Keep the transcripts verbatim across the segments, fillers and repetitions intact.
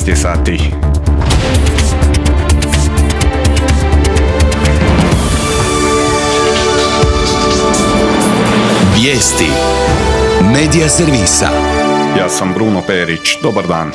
jedanaest je sati. Vijesti Medija servisa. Ja sam Bruno Perić. Dobar dan.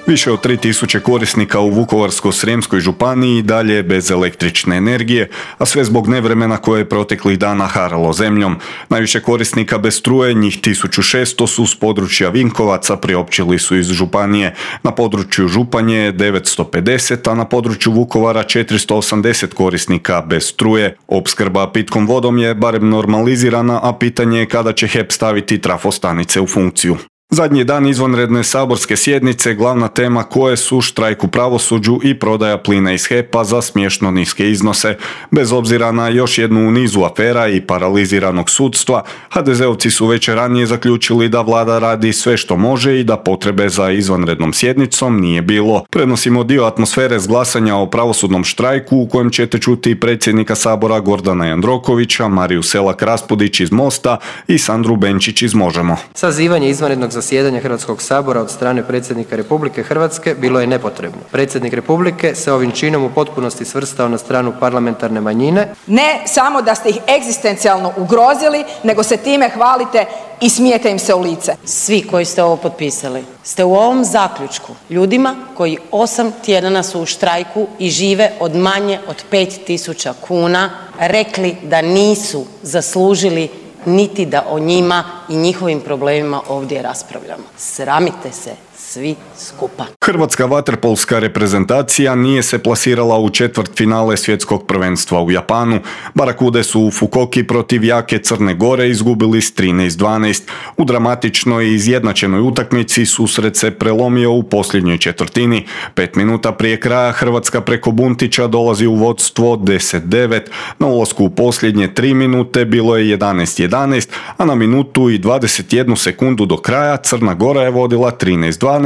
Više od tri tisuće korisnika u Vukovarsko-srijemskoj županiji dalje je bez električne energije, a sve zbog nevremena koje je proteklih dana haralo zemljom. Najviše korisnika bez struje, njih tisuću šesto, su s područja Vinkovaca, priopćili su iz županije. Na području Županje je devetsto pedeset, a na području Vukovara četiristo osamdeset korisnika bez struje. Opskrba pitkom vodom je barem normalizirana, a pitanje je kada će H E P staviti trafostanice u funkciju. Zadnji dan izvanredne saborske sjednice, glavna tema koje su štrajk u pravosuđu i prodaja plina iz H E P-a za smiješno niske iznose. Bez obzira na još jednu u nizu afera i paraliziranog sudstva, ha de zeovci su već ranije zaključili da vlada radi sve što može i da potrebe za izvanrednom sjednicom nije bilo. Prenosimo dio atmosfere s glasanja o pravosudnom štrajku u kojem ćete čuti predsjednika Sabora Gordana Jandrokovića, Mariju Selak-Raspudić iz Mosta i Sandru Benčić iz Možemo. Sazivanje izvanrednog zasjedanja Hrvatskog sabora od strane predsjednika Republike Hrvatske bilo je nepotrebno. Predsjednik Republike se ovim činom u potpunosti svrstao na stranu parlamentarne manjine. Ne samo da ste ih egzistencijalno ugrozili, nego se time hvalite i smijete im se u lice. Svi koji ste ovo potpisali ste u ovom zaključku ljudima koji osam tjedana su u štrajku i žive od manje od pet tisuća kuna rekli da nisu zaslužili niti da o njima i njihovim problemima ovdje raspravljamo. Sramite se svi skupa. Hrvatska vaterpolska reprezentacija nije se plasirala u četvrtfinale svjetskog prvenstva u Japanu. Barakude su u Fukuoki protiv jake Crne Gore izgubili s trinaest dvanaest. U dramatičnoj i izjednačenoj utakmici susret se prelomio u posljednjoj četvrtini. Pet minuta prije kraja Hrvatska preko Buntića dolazi u vodstvo deset devet. Na ulasku u posljednje tri minute bilo je jedanaest jedanaest, a na minutu i dvadeset jednu sekundu do kraja Crna Gora je vodila trinaest dvanaest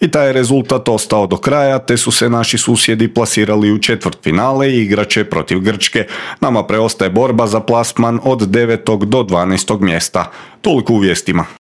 i taj je rezultat ostao do kraja, te su se naši susjedi plasirali u četvrtfinale i igraće protiv Grčke. Nama preostaje borba za plasman od devetog do dvanaestog mjesta. Toliko u vijestima.